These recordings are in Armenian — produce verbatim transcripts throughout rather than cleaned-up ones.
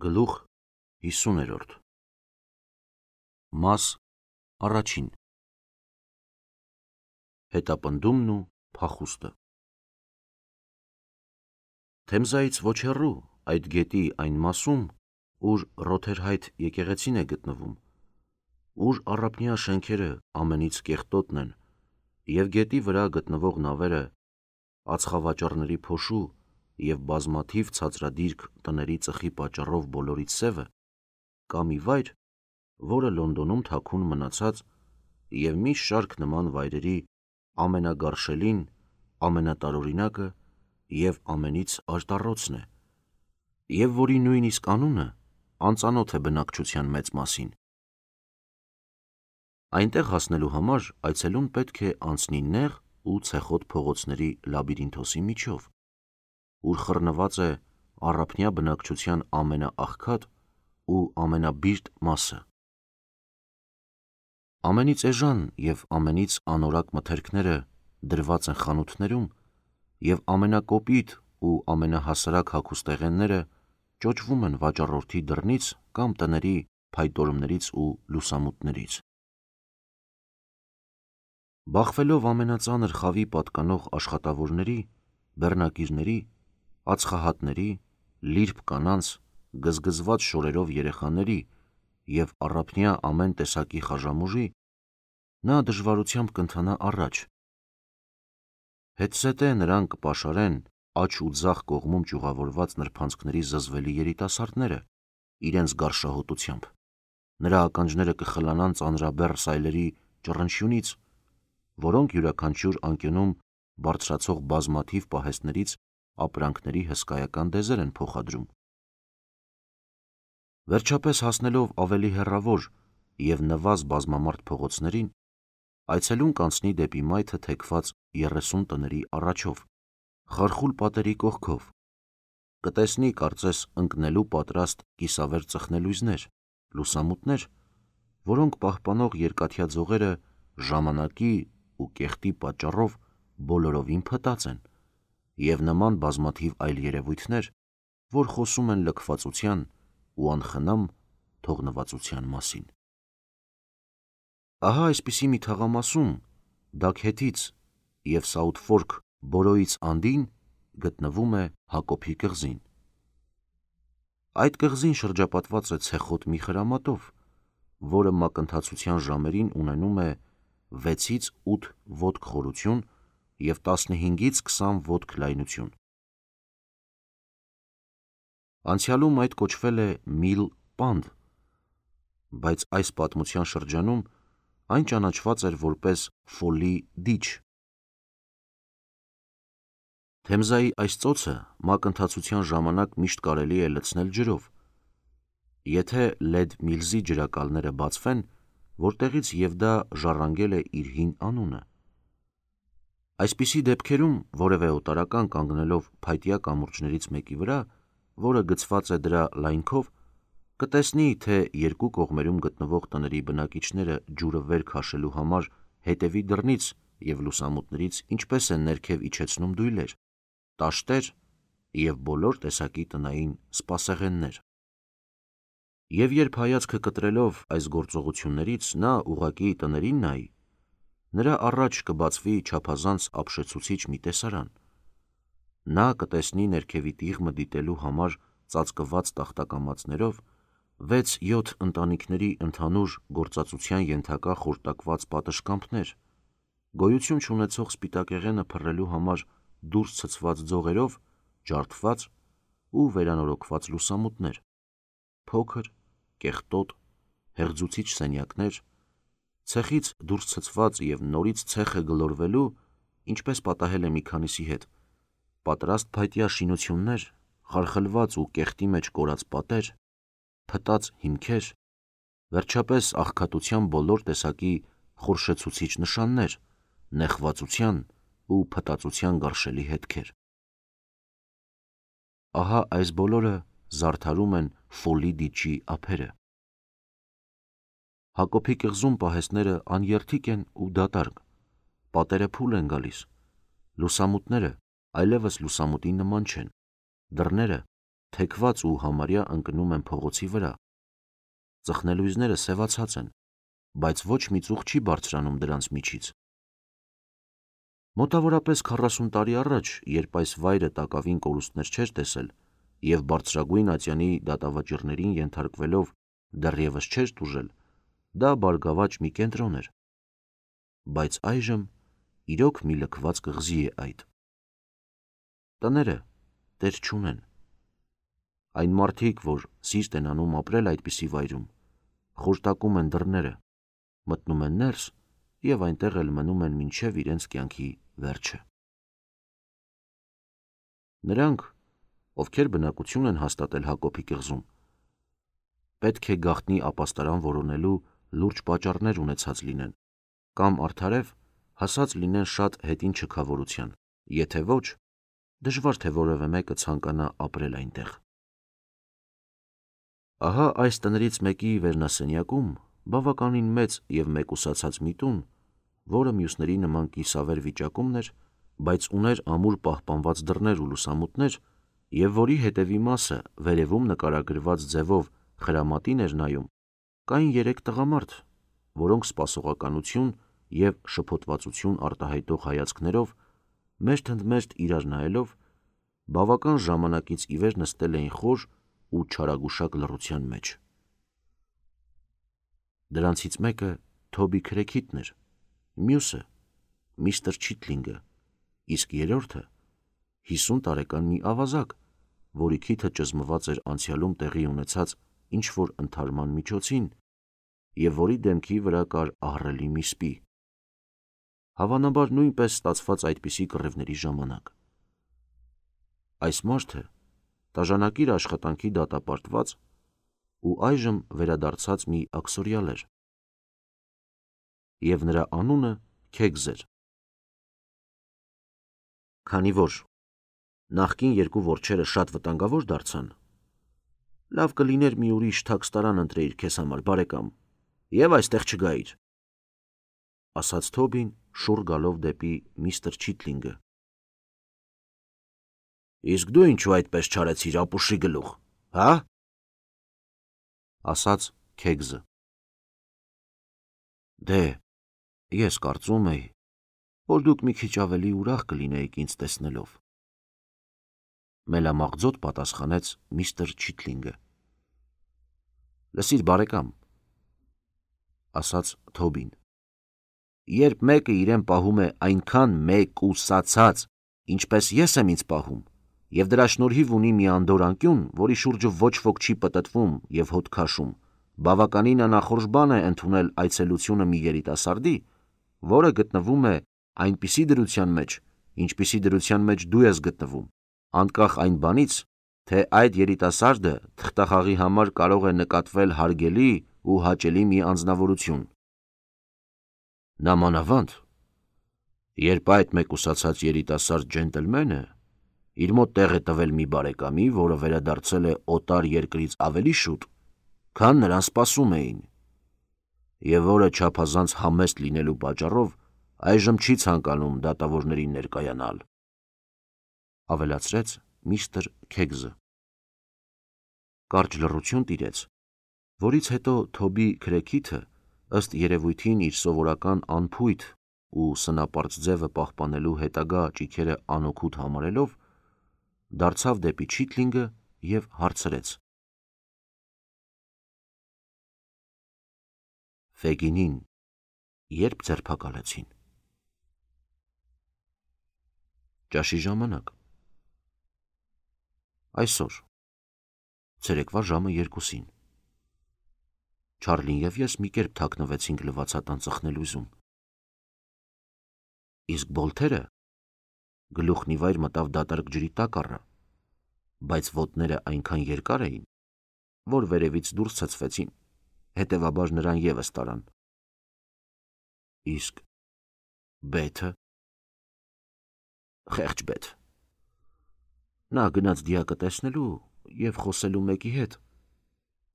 Գլուխ հիսուներորդ Մաս առաջին Հետապնդումն ու փախուստը Թեմզայից ոչ հեռու այդ գետի այն մասում, ուր Ռոթերհայթ եկեղեցին է գտնվում, ուր առափնյա շենքերը ամենից կեղտոտն են և գետի վրա գտնվող նավերը ածխավաճառների փոշու և բազմաթիվ ցածրադիրք տների ծխի պատճառով բոլորից սևը, կա մի վայր, որը Լոնդոնում թաքուն մնացած և մի շարք նման վայրերի ամենագարշելին, ամենատարօրինակը և ամենից արտառոցն է, և որի նույնիսկ անունը անծանոթ է բնակչության մեծ մասին։ Այնտեղ հասնելու համար այցելուն պետք է անցնի նեղ ու ցեխոտ փողոցների լաբիրինթոսի միջով, ուր խռնված է առափնյա բնակչության ամենաաղքատ ու ամենաբիրտ մասը։ Ամենից էժան և ամենից անորակ մթերքները դրված են խանութներում և ամենակոպիտ ու ամենահասարակ հագուստեղենները ճոճվում են վաճառորդի դռնից կամ տների փայտորումներից ու լուսամուտներից։ Բախվելով ամենածանր խավի պատկանող աշխատավորների, բեռնակիրների, ածխահատների, լիրբ կանանց, գզգզված շորերով երեխաների և առափնյա ամեն տեսակի խաժամուժի, նա դժվարությամբ կընթանա առաջ։ Հետզհետե նրան կպաշարեն աջ ու ձախ կողմում ճյուղավորված նրբանցքների զզվելի երիտասարդները իրենց գարշահոտությամբ, նրա ականջները կխլանան ծանրաբեռ սայլերի ճռնչյունից, որոնք յուրաքանչյուր անկյունում բարձրացող բազմաթիվ պահեստներից ապրանքների հսկայական դեզեր են փոխադրում։ Վերջապես հասնելով ավելի հեռավոր և նվազ բազմամարդ փողոցներին, այցելուն կանցնի դեպի մայթը թեքված երեսուն տների առաջով, խարխուլ պատերի կողքով, կտեսնի կարծես ընկնելու պատրաստ կիսավեր ծխնելույզներ, լուսամուտներ, որոնք պահպանող երկաթյա ձողերը ժամանակի ու կեղտի պատճառով բոլորովին փտած են, և նման բազմաթիվ այլ երևույթներ, որ խոսում են լքվածության ու անխնամ թողնվածության մասին։ Ահա այսպիսի մի թաղամասում, Դաքհեթից և Սաութֆորք Բորոուից անդին գտնվում է Հակոբի կղզին։ Այդ կղզին շրջապատված է ցեխոտ մի խրամատով, որը մակընթացության ժամերին ունենում է վեցից ութ ոտք խորություն և տասնհինգից քսան ոտք լայնություն։ Անցյալում այդ կոչվել է Միլ Պանդ, բայց այս պատմության շրջանում այն ճանաչված էր որպես Ֆոլի դիչ։ Թեմզայի այս ծոցը մակընթացության ժամանակ միշտ կարելի է լցնել ջրով, եթե Լեդ Միլզի ջրակալները բացվեն, որտեղից և դա ժառանգել է իր հին անունը։ Այսպիսի դեպքերում որևէ օտարական կանգնելով փայտյա կամուրջներից մեկի վրա, որը գցված է դրա լայնքով, կտեսնի, թե երկու կողմերում գտնվող տների բնակիչները ջուրը վեր քաշելու համար հետևի դռնից և լուսամուտներից ինչպես են ներքև իջեցնում դույլեր, տաշտեր և բոլոր տեսակի տնային սպասեղեններ։ Եվ երբ հայացքը կտրելով այս գործողություններից նա ուղղակի տներին նայի, նրա առաջ կբացվի չափազանց ապշեցուցիչ մի տեսարան։ Նա կտեսնի ներքևի տիղմը դիտելու համար ծածկված տախտակամածներով վեց-յոթ ընտանիքների ընդհանուր գործածության ենթակա խորտակված պատշգամբներ, գոյություն չունեցող սպիտակեղենը փռելու համար դուրս ցցված ձողերով ջարդված ու վերանորոգված լուսամուտներ, փոքր, կեղտոտ, հեղձուցիչ սենյակներ, ցեխից դուրս ցցված և նորից ցեխը գլորվելու, ինչպես պատահել է մի քանիսի հետ, պատրաստ փայտյա շինություններ, խարխլված ու կեղտի մեջ կորած պատեր, փտած հիմքեր, վերջապես աղքատության բոլոր տեսակի խորշեցուցիչ նշաններ, նեխվածության ու փտածության գարշելի հետքեր։ Ահա այս բոլորը զարդարում են Ֆոլի դիչի ափերը։ Հակոբի կղզում պահեստները աներթիկ են ու դատարկ, պատերը փուլ են գալիս, լուսամուտները այլևս լուսամուտի նման չեն, դռները թեքված ու համարյա ընկնում են փողոցի վրա։ Ծխնելույզները սևացած են, բայց ոչ մի ծուխ չի բարձրանում դրանց միջից։ Մոտավորապես քառասուն տարի առաջ, երբ այս վայրը տակավին կորուստներ չէր տեսել և բարձրագույն ատյանի դատավճիռներին ենթարկվելով դեռևս չէր տուժել, դա բարգավաճ մի կենտրոն էր, բայց այժմ իրոք մի լքված կղզի է այդ։ Տները տեր չունեն։ Այն մարդիկ, որ սիրտ են անում ապրել այդպիսի վայրում, խորտակում են դռները, մտնում են ներս և այնտեղ էլ մնում են մինչև իրենց կյանքի վերջը։ Նրանք, ովքեր բնակություն են հաստատել Հակոբի կղզում, պետք է գաղտնի ապաստարան որոնելու լուրջ պատճառներ ունեցած լինեն, կամ արդարև հասած լինեն շատ հետին չքավորության, եթե ոչ, դժվար թե որևէ մեկը ցանկանա ապրել այնտեղ։ Ահա այս տներից մեկի վերնասենյակում բավականին մեծ և մեկուսացած մի տուն, որը մյուսների նման կիսավեր վիճակումն էր, բայց ուներ ամուր պահպանված դռներ ու լուսամուտներ, և որի հետևի մասը վերևում նկարագրված ձևով խրամատին էր նայում, կային երեք տղամարդ, որոնք սպասողականություն և շփոթվածություն արտահայտող հայացքներով, մերթընդմերթ իրար նայելով, բավական ժամանակից ի վեր նստել էին խոր ու չարագուշակ լռության մեջ։ Դրանցից մեկը Թոբի քրեքիթն էր, մյուսը միստր Չիթլինգը, իսկ երրորդը հիսուն տարեկան մի ավազակ, որի քիթը ճզմված էր անցյալում տեղի ունեցած ինչ-որ ընդհարման միջոցին և որի դեմքի վրա կար ահռելի մի սպի, հավանաբար նույնպես ստացված այդպիսի կռիվների ժամանակ։ Այս մարդը տաժանակիր աշխատանքի դատապարտված ու այժմ վերադարձած մի աքսորյալ էր, և նրա անունը Քեգզ էր։ Քանի որ նախկին երկու որջերը շատ վտանգավոր դարձան, լավ կլիներ մի ուրիշ թաքստարան ընտրեիր քեզ համար, բարեկամ, և այստեղ չգայիր, ասաց Թոբին շուռ գալով դեպի միստր Չիթլինգը։ Իսկ դու ինչու այդպես չարեցիր, ապուշի գլուխ, հա՞, ասաց Քեգզը։ Դե, ես կարծում էի, որ դուք մի քիչ ավելի ուրախ կլինեիք ինձ տեսնելով, մելամաղձոտ պատասխանեց միստր Չիթլինգը։ Լսիր, բարեկամ, ասաց Թոբին, երբ մեկը իրեն պահում է այնքան մեկուսացած, ինչպես ես եմ ինձ պահում, և դրա շնորհիվ ունի մի անդորր անկյուն, որի շուրջը ոչ ոք չի պտտվում և հոտ քաշում, բավականին անախորժ բան է ընդունել այցելությունը մի երիտասարդի, որը գտնվում է այնպիսի դրության մեջ, ինչպիսի դրության մեջ դու ես գտնվում, անկախ այն բանից, թե այդ երիտասարդը թղթախաղի համար կարող է նկատվել հարգելի ու հաճելի մի անձնավորություն։ Նամանավանդ, երբ այդ մեկուսացած երիտասարդ ջենտլմենը իր մոտ տեղ է տվել մի բարեկամի, որը վերադարձել է օտար երկրից ավելի շուտ, քան նրան սպասում էին, և որը չափազանց համեստ լինելու պատճառով այժմ չի ցանկանում դատավորներին ներկայանալ, ավելացրեց միստր Քեգզը։ Կարճ լռություն տիրեց, որից հետո Թոբի քրեքիթը, ըստ երևույթին իր սովորական անփույթ ու սնապարծ ձևը պահպանելու հետագա ճիգերը անօգուտ համարելով, դարձավ դեպի Չիթլինգը և հարցրեց. Ֆեգինին երբ ձերբակալեցին։ Ճաշի ժամանակ։ Այսօր, ցերեկվա ժամը երկուսին։ Չարլին և ես մի կերպ թաքնվեցինք լվացատան ծխնելույզում։ Իսկ Բոլթերը գլուխն ի վայր մտավ դատարկ ջրի տակ առա, բայց ոտները այնքան երկար էին, որ վերևից դուրս ցցվեցին, հետևաբար նրան ևս տարան։ Իսկ Բեթը, խեղճ Բեթ, նա գնաց դիակը տեսնելու և խոսելու մեկի հետ,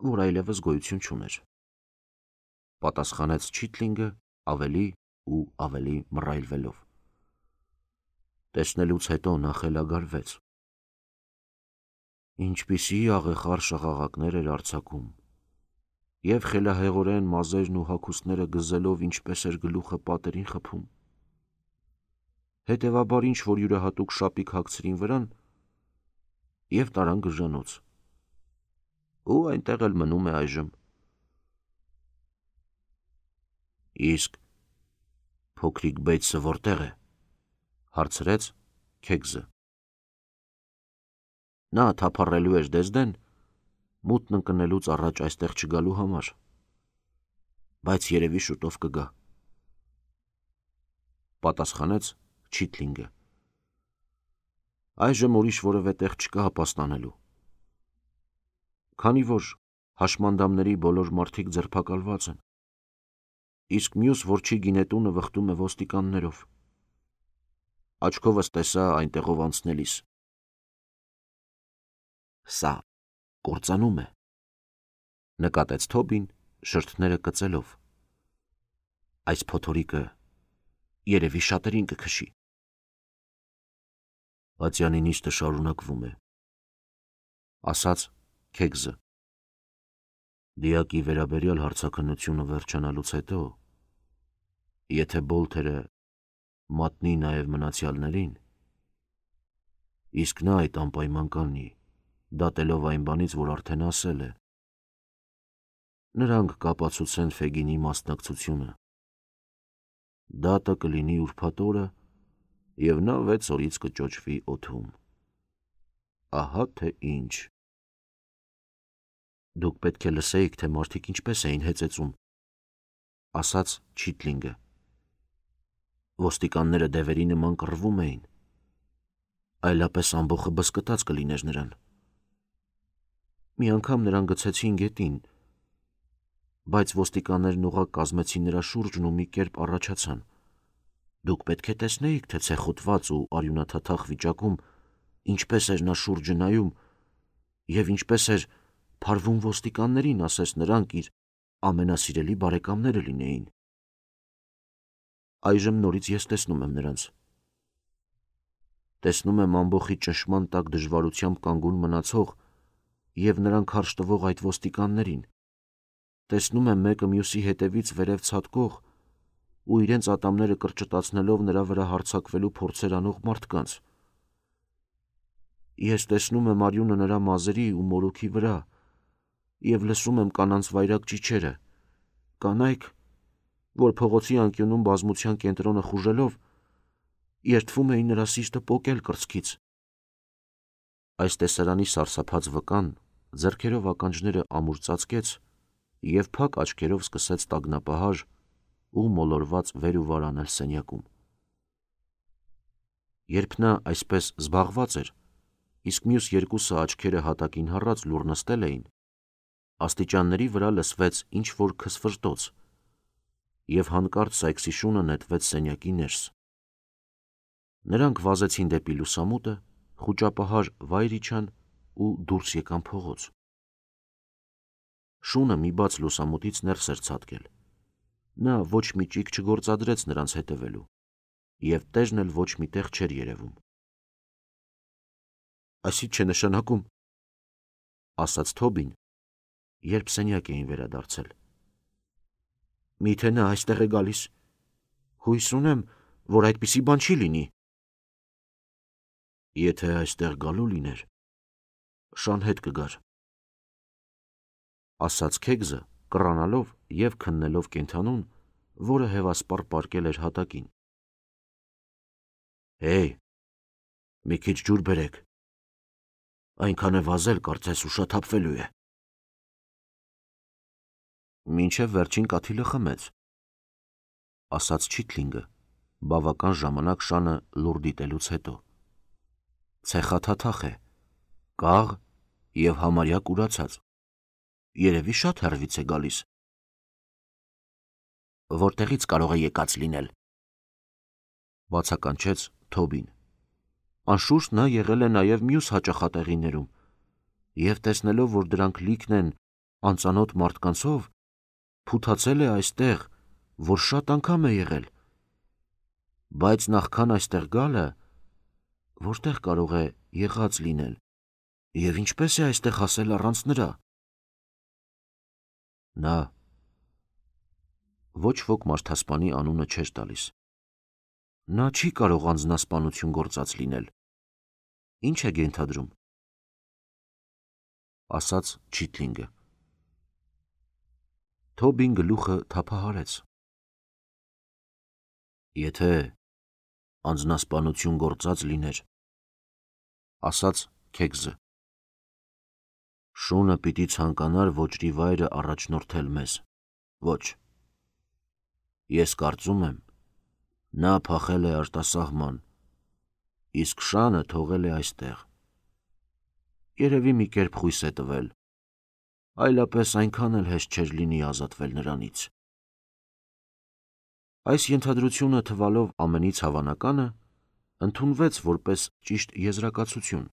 որ այլևս գոյություն չուներ, պատասխանեց Չիթլինգը ավելի ու ավելի մռայլվելով։ Տեսնելուց հետո նա խելագարվեց։ Ինչպիսի աղեղար շաղաղակներ էր արձակում, և խելահեղորեն մազերն ու հագուստները գզելով ինչպես էր գլուխը պատերին խփում։ Հետևաբար ինչ որ յուրահատուկ շապիկ հագցրին վրան և տարան գժանոց, ու այնտեղ էլ մնում է այժմ։ Իսկ փոքրիկ Բեյթսը որտեղ է, հարցրեց Քեգզը։ Նա թափառելու էր Դեզդեն, մութն ընկնելուց առաջ այստեղ չգալու համար, բայց երևի շուտով կգա, պատասխանեց Չիթլինգը։ Այժմ ուրիշ որևէ տեղ չկա հապաստանելու, քանի որ հաշմանդամների բոլոր մարդիկ ձերբակալված են, իսկ մյուս որջի գինետունը վխտում է ոստիկաններով։ Աչքովս տեսա այնտեղով անցնելիս։ Սա կործանում է, նկատեց Թոբին շրթները կծելով։ Այս փոթորիկը երևի շատերին կքշի։ Ատյանի նիստը շարունակվում է, ասաց Քեգզը։ Դիակի վերաբերյալ հարցաքննությունը վերջանալուց հետո, եթե Բոլթերը մատնի նաև մնացյալներին, իսկ նա այդ անպայման կանի, դատելով այն բանից, որ արդեն ասել է, նրանք կապացուցեն Ֆեգինի մասնակցությունը։ Դատը կլինի ուրբաթ օրը, և նա վեց օրից կճոճվի օդում։ Ահա թե ինչ։ Դուք պետք է լսեիք, թե մարդիկ ինչպես էին հեծեծում, ասաց Չիթլինգը։ Ոստիկանները դևերի նման կռվում էին, այլապես ամբոխը բզկտած կլիներ նրան։ Մի անգամ նրան գցեցին գետին, բայց ոստիկաններն ուղղակ կազմեցին նրա շուրջն ու մի կերպ առաջացան։ Դուք պետք է տեսնեիք, թե ցեխոտված ու արյունաթաթախ վիճակում ինչպես էր նա շուրջը նայում և ինչպես էր փարվում ոստիկաններին, ասես նրանք իր ամենասիրելի բարեկամները լինեին։ Այժմ նորից ես տեսնում եմ նրանց։ Տեսնում եմ ամբոխի ճնշման տակ դժվարությամբ կանգուն մնացող և նրան քարշ տվող այդ ոստիկաններին։ Տեսնում եմ մեկը մյուսի հետևից վերև ցատկող ու իրենց ատամները կրճտացնելով նրա վրա հարձակվելու փորձեր անող մարդկանց։ Ես տեսնում եմ արյունը նրա մազերի ու մորուքի վրա և լսում եմ կանանց վայրագ ճիչերը, կանայք, որ փողոցի անկյունում բազմության կենտրոնը խուժելով, երդվում էին նրա սիրտը պոկել կրծքից։ Այս տեսարանի սարսափած վկան ձեռքերով ականջները ամուր ծածկեց և փակ աչքերով սկսեց տագնապահար ու մոլորված վեր ու վար անել սենյակում։ Երբ նա այսպես զբաղված էր, իսկ մյուս երկուսը աչքերը հատակին հառած լուռ նստել էին, աստիճանների վրա լսվեց ինչ-որ քսֆրտոց, և հանկարծ Սայքսի շունը նետվեց սենյակի ներս։ Նրանք վազեցին դեպի լուսամուտը, խուճապահար վայր իջան ու դուրս եկան փողոց։ Շունը մի բաց լուսամուտից ներս էր ցատկել։ Նա ոչ մի ճիգ չգործադրեց նրանց հետևելու, և տերն էլ ոչ մի տեղ չէր երևում։ Այս ի՞նչ է նշանակում, ասաց Թոբին, երբ սենյակ էին վերադարձել։ Միթե նա այստեղ է գալիս։ Հույս ունեմ, որ այդպիսի բան չի լինի։ Եթե այստեղ գալու լիներ, շան հետ կգար, ասաց Քեգզը, կռանալով և քննելով կենդանուն, որը հևասպառ պառկել էր հատակին։ Հեյ, մի քիչ ջուր բերեք, այնքան է վազել, կարծես ուշաթափվելու է։ Մինչև վերջին կաթիլը խմեց, ասաց Չիթլինգը, բավական ժամանակ շանը լուռ դիտելուց հետո։ Ցեխաթաթախ է, կաղ և համարյա կուրացած, երևի շատ հեռվից է գալիս։ Որտեղից կարող է եկած լինել, բացականչեց Թոբին։ Անշուշտ նա եղել է նաև մյուս հաճախատեղիներում և տեսնելով, որ դրանք լիքն են անծանոթ մարդկանցով, փութացել է այստեղ, որ շատ անգամ է եղել։ Բայց նախքան այստեղ գալը, որտեղ կարող է եղած լինել, Եվ ինչպես է այստեղ հասել առանց նրա։ Նա ոչ ոք մարդասպանի անունը չէր տալիս։ Նա չի կարող անձնասպանություն գործած լինել։ Ինչ է ենթադրում, ասաց Չիթլինգը։ Թոբին գլուխը թափահարեց։ Եթե անձնասպանություն գործած լիներ, ասաց Քեգզը, շունը պիտի ցանկանար ոճրի վայրը առաջնորդել մեզ։ Ոչ։ Ես կարծում եմ, նա փախել է արտասահման, իսկ շանը թողել է այստեղ։ Երևի մի կերպ խույս է տվել, այլապես այնքան էլ հեշտ չէր լինի ազատվել նրանից։ Այս ենթադրությունը թվալով ամենից հավանականը, ընդունվեց որպես ճիշտ եզրակացություն։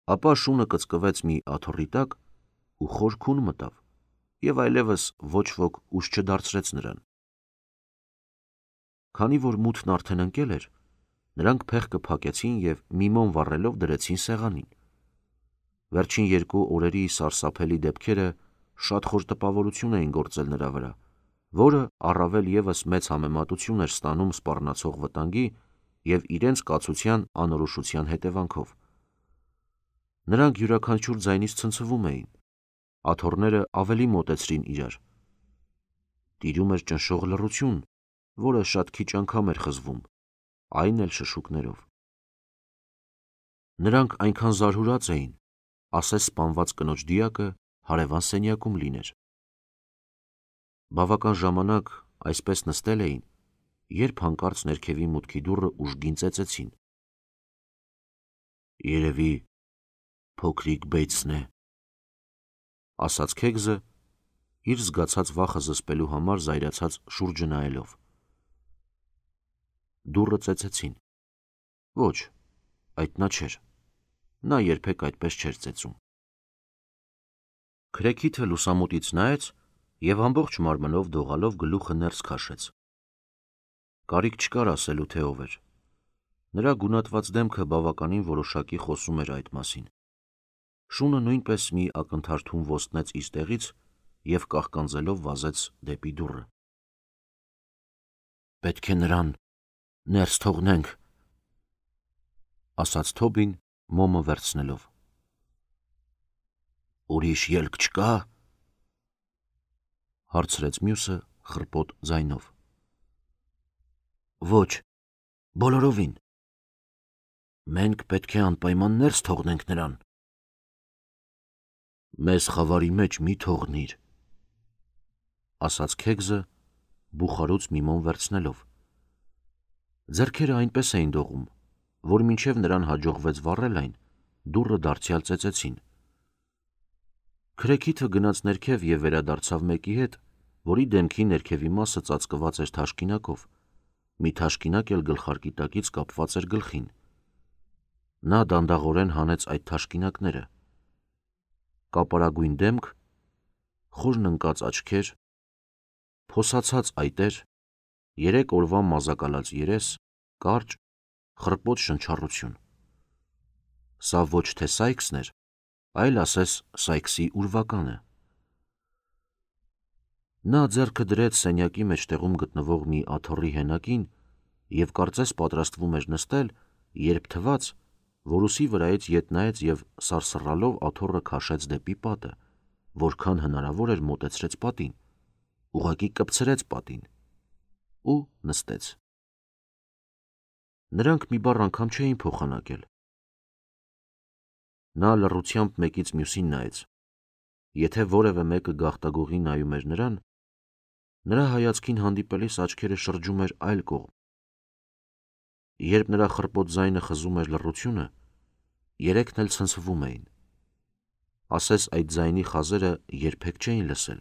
Ապա շունը կծկվեց մի աթոռի տակ ու խոր քուն մտավ, և այլևս ոչ ոք ուժ չդարձրեց նրան։ Քանի որ մութն արդեն ընկել էր, նրանք փեղկը փակեցին և միմոն վառելով դրեցին սեղանին։ Վերջին երկու օրերի սարսափելի դեպքերը շատ խոր տպավորություն էին գործել նրա վրա, որը առավել ևս մեծ համեմատություն էր ստանում սպառնացող վտանգի և իրենց կացության անորոշության հետևանքով։ Նրանք յուրաքանչյուր ձայնից ցնցվում էին, աթոռները ավելի մոտեցրին իրար։ Տիրում էր ճնշող լռություն, որը շատ քիչ անգամ էր խզվում, այն էլ շշուկներով։ Նրանք այնքան զարհուրած էին, ասես սպանված կնոջ դիակը հարևան սենյակում լիներ։ Բավական ժամանակ այսպես նստել էին, երբ հանկարծ ներքևի մուտքի դուռը ուժգին ծեծեցին։ Երևի փոքրիկ Բեյթսն է, ասաց Քեգզը, իր զգացած վախը զսպելու համար զայրացած շուրջը նայելով։ Դուռը ծեծեցին։ Ոչ, այդ նա չէր, նա երբեք այդպես չէր ծեծում։ Քրեքիթը լուսամուտից նայեց և ամբողջ մարմնով դողալով գլուխը ներս քաշեց։ Կարիք չկար ասելու, թե ով էր։ Նրա գունատված դեմքը բավականին որոշակի խոսում էր այդ մասին։ Շունը նույնպես մի ակնթարթում ոստնեց իր տեղից և կաղկանձելով վազեց դեպի դուռը։ Պետք է նրան ներս թողնենք, ասաց Թոբին մոմը վերցնելով։ Ուրիշ ելք չկա, հարցրեց մյուսը խռպոտ ձայնով։ Ոչ, բոլորովին։ Մենք պետք է անպայման ներս թողնենք նրան։ Մեզ խավարի մեջ մի թողնիր, ասաց Քեգզը, բուխարուց միմոն վերցնելով։ Ձեռքերը այնպես էին դողում, որ մինչև նրան հաջողվեց վառել այն, դուռը դարձյալ ծեծեցին։ Քրեքիթը գնաց ներքև և վերադարձավ մեկի հետ, որի դեմքի ներքևի մասը ծածկված էր թաշկինակով, մի թաշկինակ էլ գլխարկի տակից կապված էր գլխին։ Նա դանդաղորեն հանեց այդ թաշկինակները։ Կապարագույն դեմք, խորն ընկած աչքեր, փոսացած այտեր, երեք օրվա մազակալած երես, կարճ, խռպոտ շնչառություն։ Սա ոչ թե Սայքսն էր, այլ ասես Սայքսի ուրվականը։ Նա ձեռքը դրեց սենյակի մեջտեղում գտնվող մի աթոռի հենակին և կարծես պատրաստվում էր նստել, երբ թվաց, որ ուսի վրայից ետ նայեց և սարսռալով աթոռը քաշեց դեպի պատը, որքան հնարավոր էր մոտեցրեց պատին, ուղղակի կպցրեց պատին ու նստեց։ Նրանք մի բառ անգամ չէին փոխանակել։ Նա լռությամբ մեկից մյուսին նայեց։ Եթե որևէ մեկը գաղտագողի նայում էր նրան, նրա հայացքին հանդիպելիս աչքերը շրջում էր այլ կողմ։ Երբ նրա խռպոտ ձայնը խզում էր լռությունը, երեքն էլ ցնցվում էին։ Ասես այդ ձայնի խազերը երբեք չէին լսել։